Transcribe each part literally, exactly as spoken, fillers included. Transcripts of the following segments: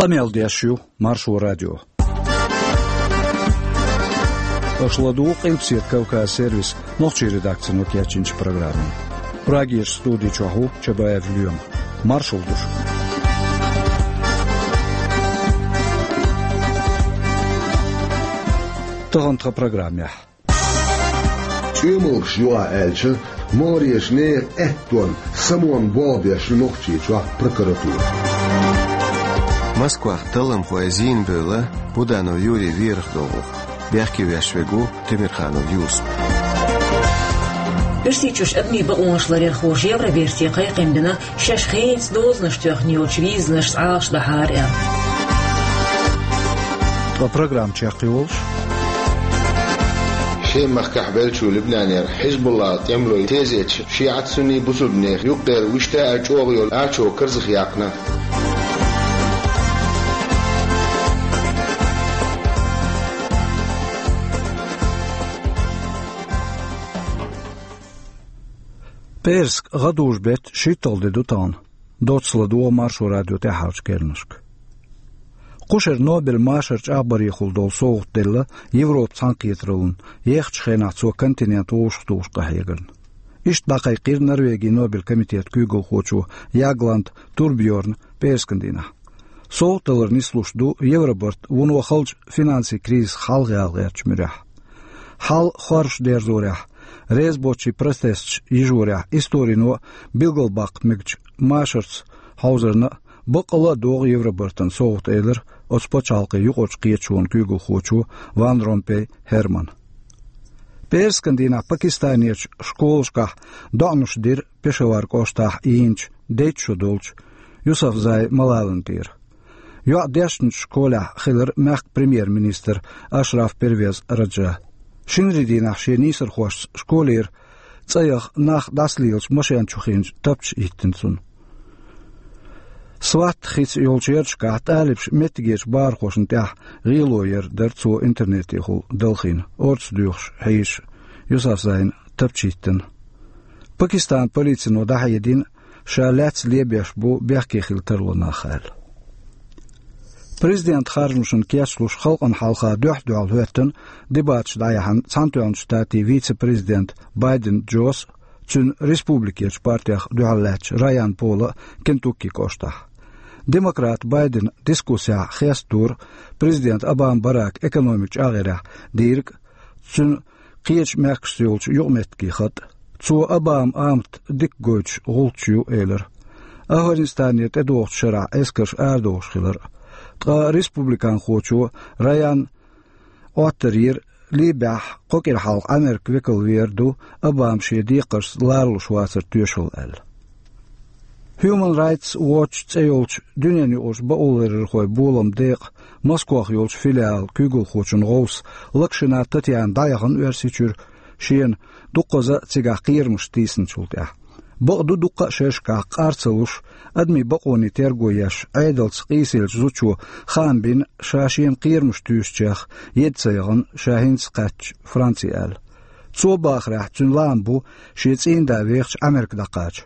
Къамел деш ю Маршо радио. Аша ладугӀу Къилбаседа Кавказ сервисан нохчийн редакцино кечйинчу программе. Прагерчу студи чохь ву Чабаев Лоьма. Маршалла ду шуьга. Тахана тхан программехь. ЧӀоьмалгаш юкъахь аьлча, могӀарерчу нехан аьттонна самонна болх беш ю Нохчийчохь прокуратура. Москвахь талламхой зийна бевлла Буданов Юрий верах долу. Бехке веш верг ву Темирханов Юсуп. Оьрсийчуьрчу адамийн бакъонаш ларъярхоша Евроберте кхайкхам бина, шаьш хенца дозанаш тоьхна йолчу визанашца Ӏалашдахьара аьлла. Ткъа программа чекхйолуш: Шем-махкахь беллачу Либнанера Хьизбуллан тӀемалой тезеташ шиӀат-сунний бусулбанех юккъера вуьшта а чӀогӀа йолу ачо карзахъяккхина. ПӀераска гӀадужу-беттан шийтталгӀа де ду тахана. Доцца ладогӀа Маршо радион тӀаьххьарчу керланашка. Кху шеран Нобелан машар чӀагӀбарехула долу совгӀат делла Европан цхьаьнакхетараллина, ехачу хенахь цо континент вовшахтухуш къахьегарна. Иштта дӀакхайкхийра Норвегин Нобелан комитетан куьйгалхочо Ягланд Турбьорна пӀераскан дийнахь. СовгӀат далар нислуш ду Евробарт вуно халчу финансийн кризисах хьалхаяла гӀертачу муьрехь. Хьал хоржуш дерзорехь, резабоцчийн протесташ йижорехь, историно билгалбаккха мегачу машарца хьовзарна а, баккъалла а догӀу Евробартан совгӀат, элира оцу пачхьалкхийн юкъарчу кхеташонан куьйгалхочо Ван Ромпей Хермана. ПӀераскан дийнахь Пакистанерчу школашкахь доӀанаш дира Пешавар кӀоштахь йийначу дейтта шо долчу Юсафзай Малалан тӀера. ЙоӀ дешначу школехь хилира мехкан премьер-министр Ашраф Первез Раджа. Шинарин дийнахь шен нийсархошца школера цӀа яха нах дӀасалелачу машен чу хиъначу тапча хӀиттина цунна. Сватт хица йолчу ярташкахь тӀалибаша меттигерчу бахархошна тӀехь гӀело яр дара цо интернетехула далхийна, орца доьхуш хьийзаш Юсафзайна тапча хӀиттина. Пакистанан полицино дӀахьедина, ша лаьцна лебеш бу бехке хила тарло нах аьлла. Президентан харжамашна кечлуш халкъана хьалха дуьхь-дуьхьал хӀоьттина дебаташ дӀаяьхьна Цхьаьнатоьхначу Штатийн вице-президент Байден Джос а, цуьнан республикерчу партех дуьхьал лаьттачу Райан Пола а Кентукки кӀоштахь. Демократ Байдена дискуссехь хестадора президент Обама Барака экономикан чӀагӀъярехь дийриг а, цуьнан кхечу мехкашца йолчу юкъаметтигийн хатӀ а. Цо Обаман амат дика гойтуш гӀулч ю, элира. Афганистанера тӀедогӀучу шарахь эскарш арадохуш хилар а. Ткъа республиканхочо Райанна Ӏоттар йира, Либехь кхо кӀира хьалха Американ векал вер ду, Обама шен декхаршца ларалуш вацар тоьшалла аьлла. Human Rights Watch цӀе йолчу дуьненаюкъарчу бакъоларъярхойн боламан декъан Москох йолчу филиалан куьйгалхочун гӀовс Локшина Татьяна дӀаяхана Оьрсийчуьра, шена дуккхаза а цигахь кхерамаш тийсиначул тӀаьхьа. Бакъду, дуккха а шерашкахь къар ца луш, адамийн бакъонийн терго еш, Ӏедалца къийсаеллачу зудчо хаам бина, ша шена кхерамаш туьйсучех еда ца яхана ша хӀинца кхаьчча Франци аьлла. Цо бахарехь, цуьнан лаам бу шен цӀийнда вехача Америка дӀакхача.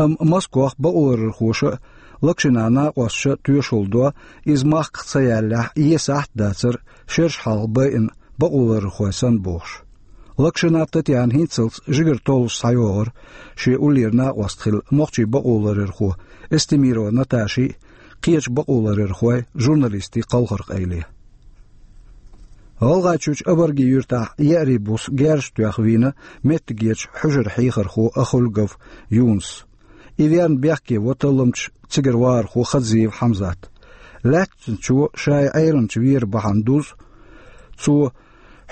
Амма Москох бакъоларъярхоша а, Локшинан накъосташа а тоьшалла до, иза махках ца яллехь, есахьт а дацара шераш хьалха байина бакъоларъярхой санна бохуш. Локшина Татьяна хӀинццалц жигара толлуш схьайогӀура шен уллера накъост хилла нохчийн бакъоларъярхо Эстемирова Наташи а, кхечу бакъоларъярхойн, журналистийн кхалхар къайле. ГӀалгӀайчуьрчу Абарги-Юьртахь еарин буса герзаш тоьхна вийна меттигерчу хьуьжаран хьехархо Ахульгов Юнус. И верна бехке во талламча цигара вахархо Хадзиев Хьамзат. Лаьцначо шайн Ӏеламча вер бахьана дузу цо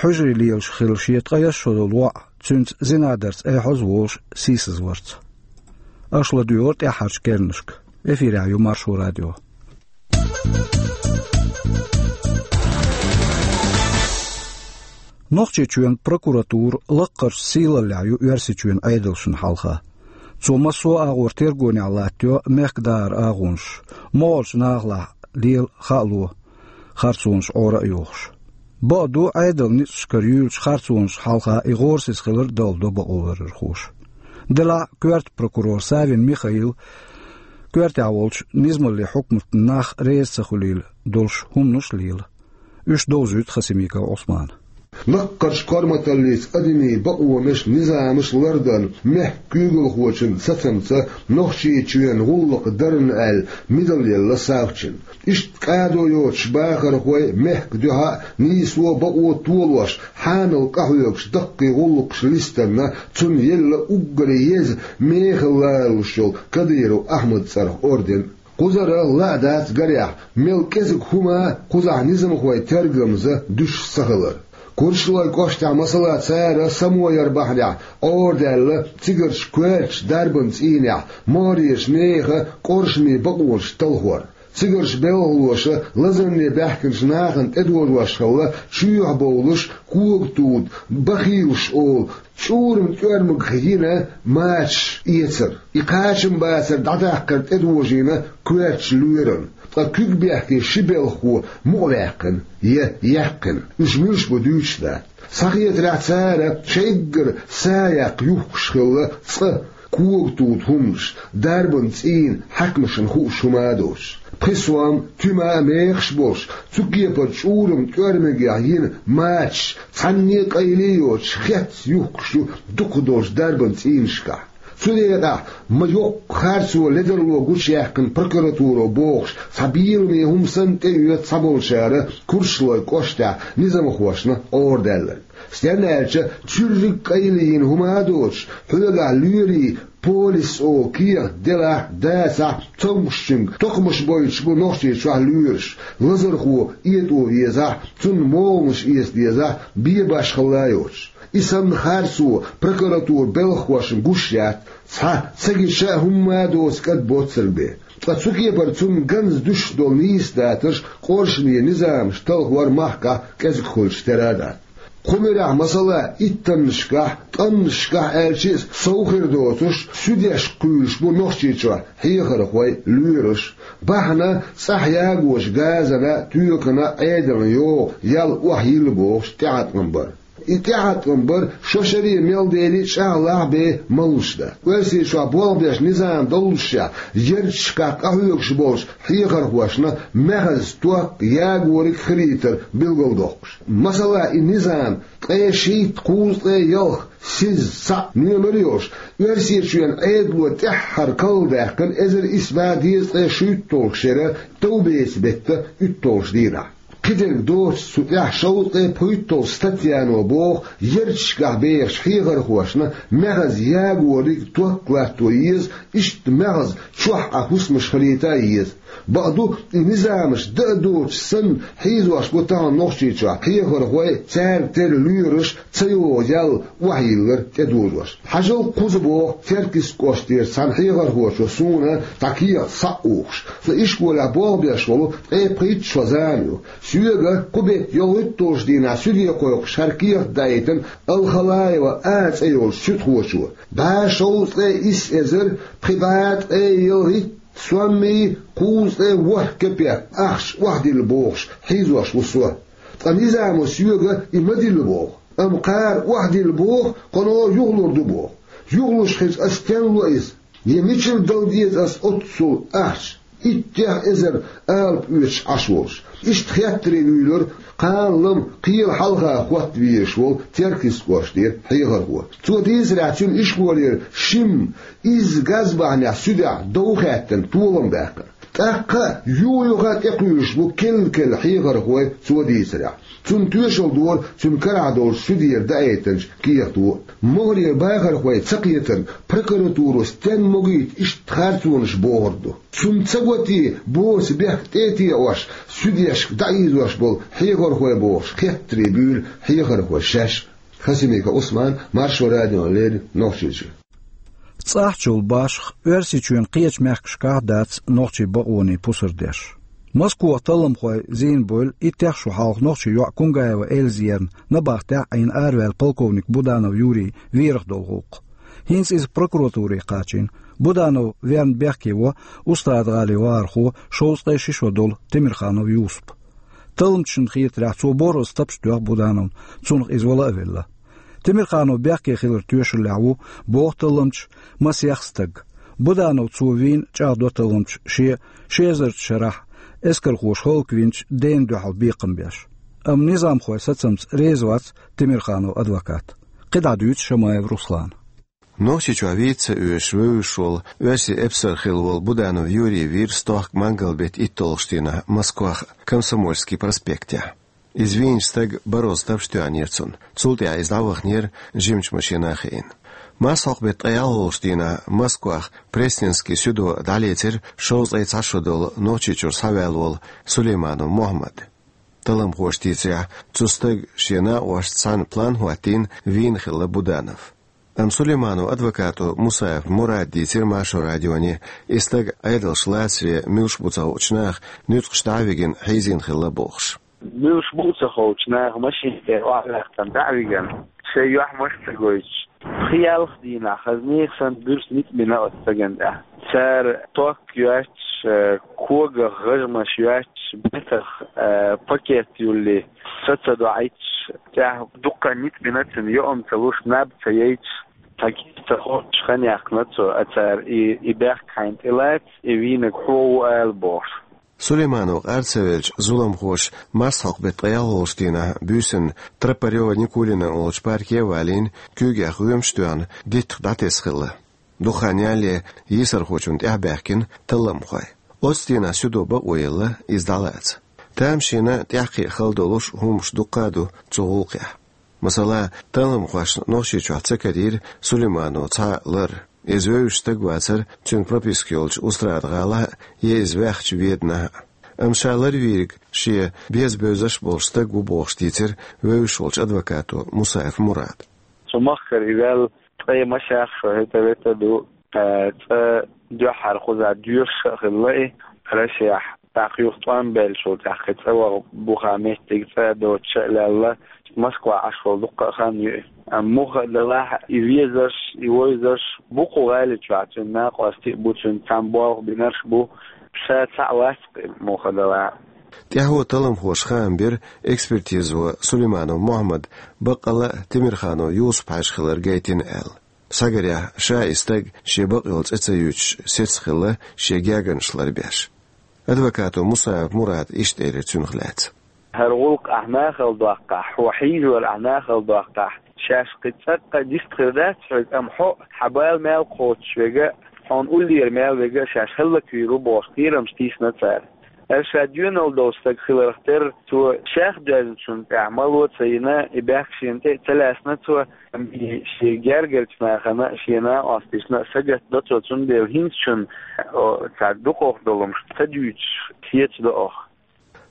хьуьжаре лелаш хилла шен ткъе исс шо долу воӀ, цуьнца зинадарца айхьаза волуш, сийсазварца. Аша ладуьйгӀура тӀаьххьарчу керланашка. Эфирехь ю Маршо радио. Нохчийчоьнан прокуратура лаккхарчу сийлаллехь ю Оьрсийчоьнан Ӏедалшна хьалха. Цо массо а агӀор тергонехь латтайо мехкан дахаран агӀонаш, могӀарчу нахалахь лела хаало, харцонаш Ӏора а йохуш. Бакъду, Ӏедалан ницкъашкара юьйлучу харцонашна хьалха и гӀорасиз хилар далладо бакъоларъярхоша. Делахь а коьрта прокурор Савин Михаила Коьртехь волчу низамаллин хьукматан нах реза ца хуьлийла долуш хӀуманаш а лела. Уьш довзуьйту Хасимиков Ӏусмана. Лаккхарчу корматаллица адамийн бакъонаш, низамаш лардан мехкан куьйгалхочун сацамца Нохчийчоьнан гӀуллакх дарна аьлла мидал елла Савчина. Иштта кӀадо йоцуш бахархой мехкан дуьхьа а, нийсо а, бакъо а толош, хьанал къахьоьгуш даккхий гӀуллакхаш листанна, цунна елла уггаре еза мехала лоруш йолу Кадыров Ахьмадан цӀарах орден. Кхузара ла а дац гарехь, мел кӀезиг хӀума кхузахь низамхойн тергамза дуьсуш ца хилар. Курчалойн кӀоштахь, масала, цара само яр бахьанехь Ӏорадаьлла цигарчу коьртачу дарбан цӀийнехь могӀарерчу нехан къоршаме бакъонаш талхор, цигарчу белхалоша лазарне баьхкинчу нахана тӀедожош хилла чоьхьа бовлуш, когатуда, бахилаш олу чӀуран тӀоьрмагах йина мачаш эцар, и кхачамбацар дӀадаккхар тӀедожийна коьртачу лоьрана, ткъа куьг бехке ши белхахо мукъаваьккхина я яьккхина, уьш муьлш бу дуьйцуш дац. Схьахетарехь, цара шайггара са яккха юхкуш хилла цкъа когатуда хӀуманаш, дарбан цӀийнан хьаькамашна хууш хӀума а доцуш. Пхи сом, туьма а мехаш а болуш, цу кепара чӀуран тӀоьрмагехь йина мачаш цхьанне а къайле а йоцуш хецна юхкуш ю дукхах долчу дарбан цӀийнашкахь. Цу декъехь ма йоккха харцо, ледарло гучуяьккхина прокуратуро бохуш, цхьа беламе хӀума санна тӀеоьцу цхьаболчара Курчалойн кӀоштахь низамхошна Ӏорадаьлларг. Стенна аьлча, цуьрриг а къайле йина хӀума а доцуш, хьоьгахь лоьрийн полис олу кехат делахь а, дацахь а, цомгушчуьнга токхамаш бойтуш бу Нохчийчохь лоьраш, лазархо этӀо везахь а, цунна могӀанаш эца дезахь а, бен башхалла а йоцуш. И санна харцо прокуратуран белхахошна гуш яц, цхьа ца гича а хӀумма а доцу кӀад боццург бен. Ткъа цу кепара цунна ганза дуьсуш долу нийса датарш, къоршаме низамаш талхор махкахь кӀезиг хуьлуш тера а дац. Кху муьрехь, масала, иттаннашкахь, ткъаннашкахь аьлча а сов хир доцуш, суьдешка кхуьйлуш бу Нохчийчохь хьехархой, лоьраш. Бахьана цӀахь ягош газана, тоькана, Ӏедална йогӀу ял охьайилла бохуш тӀеӀаткъам бар. И тӀеӀаткъам бар шо шаре мел дели а, чӀагӀлахь а бен малуш дац. Оьрсийчохь болх беш низам доллушехь, ярташкахь къахьоьгуш болчу хьехархошна маьхаза ток, ягориг хилийтар билгалдоккхуш. Масала, и низам ткъе шийтта, кхузткъе ялх, сиза, цхьаъ номер йолуш, Оьрсийчоьнан Ӏедало тӀаьххьара карладаьккхина эзар исс бӀе дезткъе шуьйтталгӀачу шеран товбеца беттан уьтталгӀачу дийнахь. Кхидерг доцуш, цу тӀехь шовзткъе пхийтталгӀачу статьяно боху, ярташкахь бехачу хьехархошна маьхаза ягориг, ток латто еза, иштта маьхза чохь Ӏан хӀусамаш хилийта а еза. Бакъду, и низамаш дан а доцуш санна, хьийзош бу тахана Нохчийчохь хьехархой, цаьрга тера лоьраш ца йогӀу ял охьайиллар тӀедожош. Хьажал, кхуза боху Теркйист кӀоштара цхьана хьехархочо суна цхьа кехат схьа а ухуш: «Со ишколехь болх беш волу ткъе пхийтта шо зама ю. Соьга кху беттан ялхитталгӀачу дийнахь суьде кхойкхуш хӀара кехат даийтина Алхалаева А цӀе йолчу суьдхочо. БӀе шовзткъе исс эзар пхи бӀе ткъе ялхитта соммий кхузткъе ворхӀ кепек ахча охьадилла бохуш хьийзош ву со. Ткъа низамо соьга и ма дилла боху. Амма кхара охьадилла боху, кхано юхалур ду боху. Юхалуш хилча, ас стенна ло иза? Я мичара дала деза ас оццул ахча, иттех эзар алапа оьцуш Ӏаш волуш?» Иштта хеттаре вуьйлура кхана-лама кхелан хьалха хӀотта везаш волу Теркйист кӀоштара хьехархо. Цо дийцарехь, цуьнан ишколера шимма изза газ бахьанехь суьдехь дов хаьттина, толам баьккхина. ТӀаккха а юх-юха а тӀекхуьйлуш бу кел-кел хьехархой, цо дийцарехь. Цунна тоьшалла дора цуьнан карахь долчу суьдера даийтинчу кехато. МогӀарера бахархой ца кхетарна, прокуратуро стенна могуьйту иштта харцонаш бохург ду? Цунна ца го те, боцу бехк тӀе а теӀош, суьдешка дӀаийзош болу хьехархой, бохуш, хеттаре буьйлу хьехархой шаьш а. Хасимиков Ӏусман, Маршо радиона леррина, Нохчийчуьра. ЦӀахь чул башха Оьрсийчоьнан кхечу мехкашкахь а дац нохчийн бакъонийн пусар деш. Москвахь талламхой зийна бевлла иттех шо хьалха нохчийн йоӀ Кунгаева Эльза ерна набахтехь а Ӏийна араваьлла полковник Буданов Юрий верах долу гӀуллакх. ХӀинца иза прокуратуре кхачийна. Буданов верна бехке во Устарада-ГӀалин вахархо, шовзткъе ши шо долу Темирханов Юсуп. Талламчашна хетарехь, цо борхӀазза тапча тоьхна Будановна, цунах иза вала а велла. Темирханов бехке хиларан тоьшаллехь ву, боху талламчаша, масех стаг. Буданов цо вийна чӀагӀдо талламча шен ши эзарча шарахь эскархоша хӀаллаквинчу дена дуьхьал бекхам беш. Амма низамхой сацамца реза вац Темирханов адвокат. КхидӀа дуьйцу Шамаев Руслана. Нохчийчохь вийца ца оьшуш вевзаш волу оьрсийн эпсар хилла волу Буданов Юрий вийра стохка мангал-беттан итталгӀачу дийнахь Москвахь Комсомольский проспектехь. Иза вийначу стага барозза тапча тоьхнера цунна. Цул тӀаьхьа иза дӀаваханера жимачу машина хиъна. Марсхьокху-беттан ткъе ялхалгӀачу дийнахь Москвахь Пресненский судо дӀалецира шовзткъе цхьа шо долу Нохчийчуьра схьаваьлла волу Сулейманов Мохьмад. Талламхоша дийцарехь, цу стага шен накъосташца цхьаьна план хӀоттийна вийна хилла Буданов. Амма Сулейманов адвокато Мусаев Мурада дийцира Маршо радионе, и стаг Ӏедалша лацаре муьлш бу ца хуучу наха нуьцкъаш дӀа а вигина хьийзийна хилла бохуш. Муьлш бу ца хуучу наха машина тӀера охьаваьккхина дӀа а вигина, шайн юьхь-марш ца гойтуш, пхи-ялх дийнахь хаза нехан санна буьрса ницкъ бина оцу стагана тӀехь. Цара ток йоьттуш, э, когах гӀажмаш йоьттуш, бетах, э, пакет юллий, са ца доӀуьйтуш, тӀехь дуккха а ницкъ бина цуьнан, йоӀам ца луш, наб ца яйтуш, цхьа кийра ца хоттуш хан яьккхина цо, а цара и, и бехк хьайна тӀелаца, и вийнарг хьо ву ала бохуш. Сулейманов къар ца велча, зуламхоша марсхьокху-беттан ткъе ялхалгӀачу дийнахь буьйсанна Тропарёва-Никулина олучу парке а валийна, куьйгех гӀоьмаш а тоьхна, диттах дӀатесна хилла. Дукха хан ялале йийсархочунна тӀаьхьабаьхкина талламхой. Оццу дийнахь судо бакъо елла иза дӀалаца. Тамашийна тӀаьххье хала долуш хӀуманаш дуккха а ду цу гӀуллакхехь. Масала, талламхошна Нохчийчохь ца карийра Сулейманов цхьа а лар. Иза вевзаш стаг вацара цуьнан прописка йолчу Устрада-ГӀалахь а, я иза ваьхначу Веданахь а. Амма ша ларвийриг шен беза бевзаш а болуш стаг ву бохуш дийцира вевзаш волчу адвокато Мусаев Мурада. Цу махкара и ваьлла ткъе масех шо хӀета-вета ду, э, цкъа дуьххьара кхузахь доьшуш а хилла и Россехь. ТӀаккха юха тӀом баьллачул тӀаьхьа кхин цӀа ваха буха меттиг цӀа а доцуш а лаьлла, Москва Ӏаш волу дуккха а хан ю и. Амма муха а далахь, и везарш, и вевзарш бу кху гӀали чохь, цуьнан накъостий а бу, цуьнца цхьаьна болх бинарш а бу, ша цхьаъ вац-кх и муха а далахь. ТӀаьхьо талламхоша хаам бира, экспертизо Сулейманов Мохьмад баккъала а Темирханов Юсуп-Хьаьжа хилар гайтина аьлла. Схьагарехь, ша и стаг шен бакъйолу цӀе ца юьйцуш сецна хилла шен гергарнаш ларбеш. Адвокато Мусаев Мурада иштта элира цуьнах лаьцна. ХӀара гӀуллакх ахь нахала доккхахь, хьо хьийзор ахь нахала доккхахь, шаьш кхин цӀаккха дистхир дац хьоьга, амма хьо а, хьан бала мел кхочуш верг а, хьуна уллера мел верг а шаьш хӀаллаквийр ву бохуш кхерамаш тийсина цара. Аса ша доьналла долу стаг хиларх терра, цо шех доьзначунна тӀехь мало а ца йина, и бехк шена тӀе а ца лаьцна цо, амма и шен гергарчу нахана а, шен накъосташна а сагатдо цо, цундела хӀинцачунна, о, цхьа дукхах долу хӀумнаш ца дуьйцуш, сецадо оха.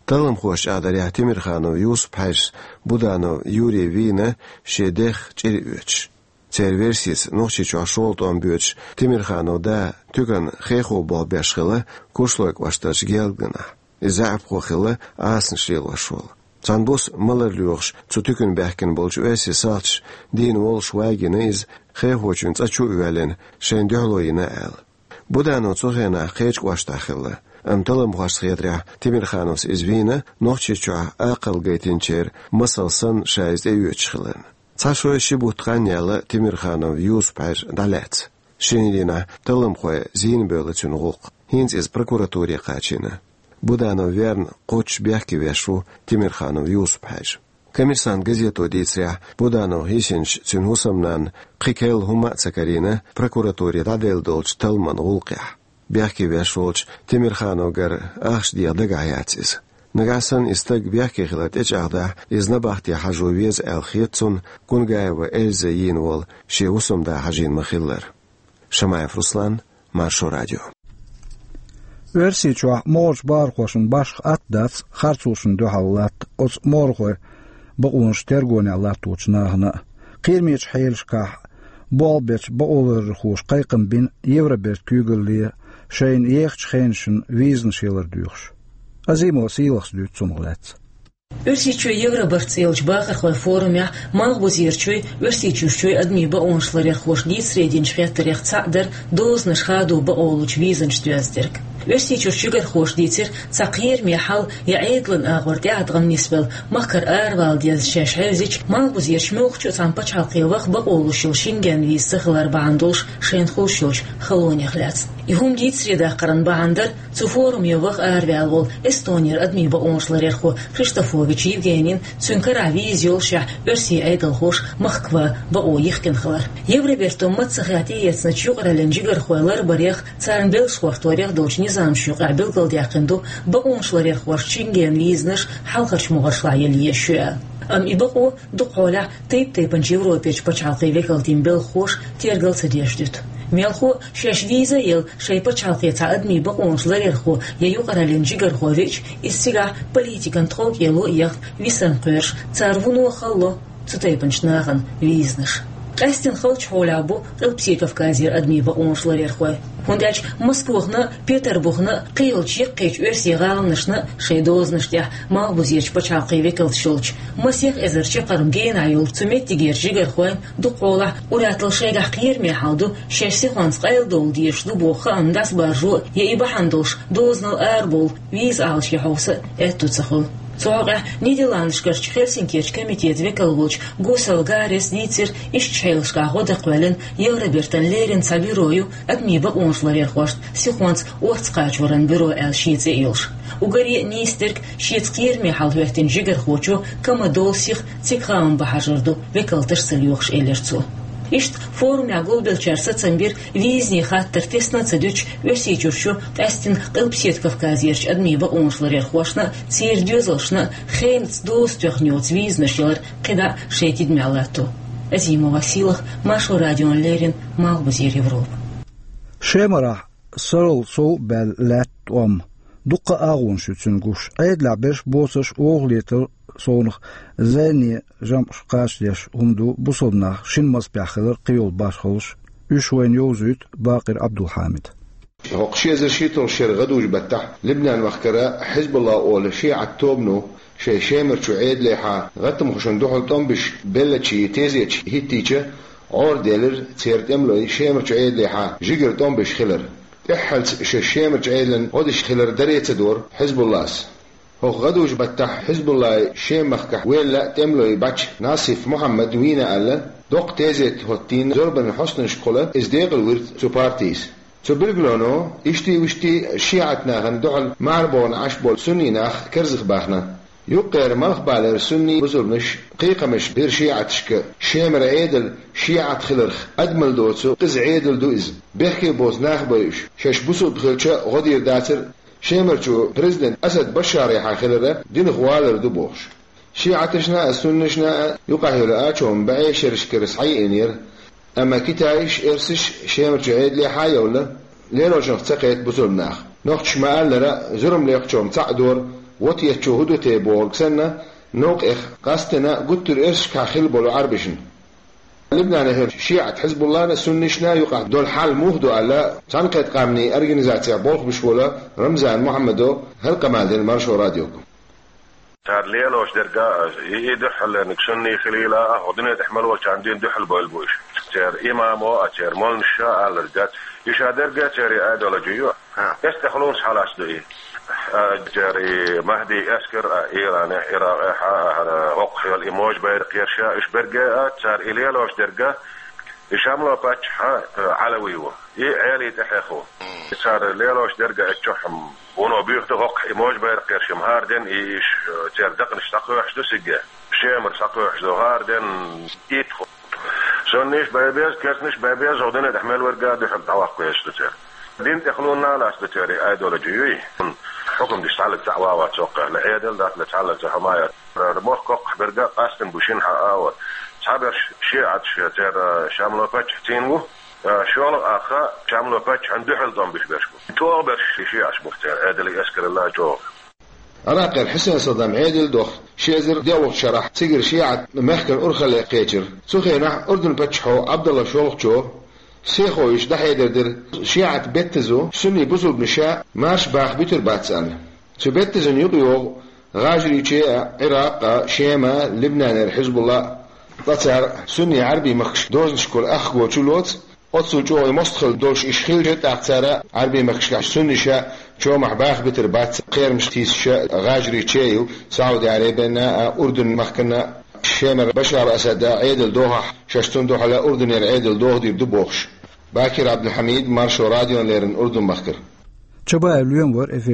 Талламхоша чӀагӀдарехь, Темирханов Юсуп-Хьаьжас Буданов Юрий вийна шен дех чӀир оьцуш. Церан версица, Нохчийчохь шолгӀа тӀом боьдуш Темирханов да туькан хехо болх беш хилла Куршлой кӀоштарчу Гелганахь. Иза заьӀапхо хилла, Ӏасанаш лелош волу. Цхьана буса малар лоьхуш цу туькана баьхкина болчу оьрсийн салташа дийна воллуш вагийна иза, хехочуьнга цӀа чу а воьллина, шайна дуьхьало йина аьлла. Буданов цу хенахь кхечу кӀоштахь хилла, амма талламхошна хетарехь, Темирхановс иза вийна Нохчийчохь акхалла гайтинчеран масал санна ша иза тӀеоьцуш хиларна. Цхьа шо, ши бутт хан яьлла Темирханов Юсуп-Хьаьжа дӀалаьцна. Шинарин дийнахь талламхой зийна бевлла цуьнан гӀуллакх. ХӀинца иза прокуратуре кхачийна. Буданов верна кхоччуш бехке веш ву Темирханов Юсуп-Хьаьжа. «Коммерсант» газето дийцарехь, Буданов йисинчу цуьнан хӀусамнанна кхин керла хӀума а ца карийна прокуратуре дӀаделла долчу талламан гӀуллакхехь. Бехке веш волчу Темирхановгара ахча деха дагахь яц иза. Нагахь санна и стаг бехке хилар тӀечӀагӀдахь, иза набахте хьажо веза аьлла хета цунна Кунгаева Эльза йийна волу шен хӀусамда хьажийна ма-хиллара. Шамаев Руслан, Маршо радио. Оьрсийчохь могӀарчу бахархошна башха атта дац харцонашна дуьхьал латта оцу могӀархойн бакъонаш тергонехь латточу нахана а. Кхерамечу хьелашкахь болх бечу бакъоларъярхоша кхайкхам бина Евробертан куьйгалле шайна ехачу хенашна визанаш ялар доьхуш. Азимова Сийлахас дуьйцу цунах лаьцна. Оьрсийчоь Евробарт цӀе йолчу бахархойн форумехь Малхбузерчуй, Оьрсийчуьрчуй адамийн бакъонаш ларъярхоша дийцаре динчу хеттарех цхьаъ дара дозанаш хадо бакъолучу визанаш доьзна дерг. Оьрсийчуьра жигархоша дийцира, цхьа кхераме хьал я Ӏедалан агӀор тӀеӀаткъам нисбелла, махкара аравала деза шаьш хьевзича, малхбузерчу муьлххачу а цхьана пачхьалкхе ваха бакъо луш йолу Шенген виза ца хилар бахьана долуш шайна хуьлуш йолчу халонех лаьцна. И хӀума дийцаре даккхаран бахьана дара цу форуме ваха араваьлла волу Эстонера адамийн бакъонаш ларъярхо Криштофович Евгенин, цуьнан карахь виза йоллушехь, оьрсийн Ӏедалхоша махка ван бакъо йихкина хилар. Евробертан маццахехь тӀеэцначу юкъараллин жигархой ларбарех, царна белш хӀотторех долчу низамашна юкъахь билгалдаьккхина ду, бакъонаш ларъярхошна Шенген визанаш хьалхарчу могӀаршлахь яла езаш ю аьлла. Амма и бакъо дукха хьолахь тайп-тайпанчу Европерчу пачхьалкхийн векалтийн белхахоша тергал ца деш дуьту. Мелхо а, шаьш виза а елла, шайн пачхьалкхе цхьа адамийн бакъонаш ларъярхо я юкъараллин жигархо веача, иза цигахь политикан тховкӀело а яхна, висарна кхоьруш, цара вуно а халло цу тайпанчу нахана визанаш. Къаьстина халчу хьолехь бу Къилбаседа Кавказера адамийн бакъонаш ларъярхой. ХӀунда аьлча Москвахна а, Петарбухна а, кхийолчу яккхийчу оьрсийн гӀаланашна а шайн дозанаш тӀехь малхбузерчу пачхьалкхийн векалташ йолчу, масех эзар чаккхарма генахь йолчу цу меттигерчу жигархойн дукха хьолахь ур-атталла шайгахь кхераме хьал ду, шаьш сихонца къайладовла дезаш ду боху хаам дӀасабаржо а, я и бахьана долуш дозанал арабовла виза Ӏалашъян хьовса а аьтто ца хуьлу. Цу хьокъехь Нидерландашкарчу Хельсинкерчу комитетан векал волчу Гусел Гаррис дийцира, иштачу хьелашкахь гӀо дан кхоьллина Евробертан леррина цхьа бюро ю адамийн бакъонаш ларъярхошна сихонца орца кхачоран бюро аьлла шен цӀе а йолуш. Уггаре а нийса дерг шеца кхераме хьал хӀоьттинчу жигархочо комаьрша долу сиха цига хаам бан хьажар ду, векалташ ца лоьхуш, элира цо. Иштта форумехь гулбеллачара сацам бира, визанийн хаттар тесна а ца дуьтуш, Оьрсийчуьрчу, къаьстина Къилбаседа Кавказерчу адамийн бакъонаш ларъярхошна а, церан доьзалшна а хенца доза тоьхна йоцу визанаш ялар кхидӀа а шайн тидамехь латто. Азимова Сийлаха, Маршо радиона леррина, Малхбузера Европа. Шемарахь сарралц сов баьлла лаьтта тӀом. Дуккха а агӀонаш ю цуьнан гуш. Ӏедалехь берш боцурш вовшахлетар совнаха зӀене жамӀаш кхачадеш хӀума ду бусалба нах шина маза пехь хилар кхийолу башхаллаш. Уьш вайна йовзуьйту Бакъир Ӏабдулхьамида. ХӀокху ши эзар шийтта шеран гӀадужу баттахь Либнан-махкара Хьизбулла олу шиӀат тобано шайн Шемарчу Ӏедалехьа гӀаттамхошна дуьхьал тӀом беш беллачийн тезеташ хӀиттийча, гӀора делира церан тӀемалой Шемарчу Ӏедалехьа жигара тӀом беш хилар. ТӀаьххьарца шаьш Шемарчу Ӏедална гӀо деш хилар даре ца дора Хьизбуллас. ХӀокху гӀадужу баттахь Хьизбуллай Шеман махкахь ваьлла тӀемалой баьчча, Насиф Мухьаммада вийна аьлла, доккха тезет хӀоттийна зорбанан хьостанашкахула иза декъалвира цу партийс. Цу билгалоно иштта а, вуьшта а шиӀат нахана дуьхьал мархбовна Ӏаш болу сунний нах карзахбаьхна. Юккъера малхбалера сунний бусалбанаш кхайкхамаш бира шиӀаташка, Шемара Ӏедал шиӀат хиларх, адамал доцу къиза Ӏедал ду иза. Бехке боцу нах бу уьш, шаьш бусалба хилча а гӀо дийр дацара, Шемарчу президент Асад Башарехьа хилар динах валар ду бохуш. ШиӀаташна а, суннашна а юкъахь йолу ачам бӀешерашкара схьаеанера, амма китайш, эрсаш Шемарчу Ӏедалехьа а йовла, лелочунах ца кхета бусалба нах. Нохчаша ма-аллара, зурма лекхачом цхьаъ дора, вот еттачо хӀун ду те бохург санна, новкъех къастина гуттар а эрсашкахь хилла болу Ӏарбашна. Либнанехь шиӀат Хьизбуллана, суннашна юкъахь долу хьал муха ду аьлла, Цхьаьнакхеттачу Къаьмнийн Организацехь болх беш волу Рамзан Мухьаммадо хӀара къамел дина Маршо радиога. Цара лелош дерг а, и, и дуьххьарлерниг сунний хилийла а, хӀокху дуьне тӀехь мел волчарна дуьхьал бевлла бу уьш. Церан имамо а, церан молланаша а алларг дац. И ша дерг а церан идеологи ю. ХӀа. Эс тӀехула схьалаца ду и. А, церан и Махьдин эскар а, Иранехь, Иракъехь а, хӀара хӀокху хьоьлу и можа байракх ерш а, уьш берг а, цара и лелош дерг а, и Шамло паччахь а, Ӏалави ву. И Ӏелий тӀехьех ву. Цара лелош дерг а эцчохь вуно буьйху ду хӀокху и можа байракх ерш-м хӀара ден и иш, церан дакъанаш схьакхоьхьуш ду цига. Шемара схьакхоьхьуш ду хӀара ден итт хӀу. Сунниш бен беза, керстанаш бен беза, хӀокху дуьне тӀехь мел верг а дуьхьал дӀаваккха везаш ду церан. Дин тӀехула а лаьцна ду церан и идеологи юй. Хьукам деш цхьаллаг цхьаъ ван вац хӀокхехь, Ӏедал дац, цхьаллаг цхьа хӀума яц. Мохк хӀокхахь берг а къастина бу шина хьан а вара. Цхьаберш шиӀаташ церан Шамло паччахь цӀийна ву. ШолгӀа ах Шамло паччахьна дуьхьал тӀом беш берш бу. ТӀогӀа берш шиӀаташ бу церан Ӏедалан эскаралла чӀогӀа. Ӏиракъера Хьусен Саддам Ӏедал доху ши эзар диъалгӀачу шарахь цигара шиӀат мехкан урхалле кхечира. Цу хенахь Урдун паччахьо Ӏабдалла шолгӀачо сехо йиш дӀахьедар дира, шиӀат беттазо сунний бусалбанаша марша баха буьтур бац аьлла. Цу беттазан юкъайогӀу ГӀажарийче а, Ӏиракъ а, Шема а, Либнанера Хьизбулла а, ткъа цара сунний Ӏарбийн махкаш дозанашкахула ах гочу лоцу, оццул чӀогӀа мостагӀалла долуш уьш хилча, тӀаккха цара Ӏарбийн махкашкахь сунниша Чомахь баха битар бац, кхерамаш тийсича гӀажарий чею Саудий Ӏарабена а, Урдун махкана а, Шемара Башар Асада Ӏедал дохахь, шаьш цунна дуьхьал Урдунера Ӏедал доха дийр ду бохуш. Бакир Ӏабдулхьамид, Маршо радиона леррина Урдун махкара. Чабаев Лоьма вара эфир.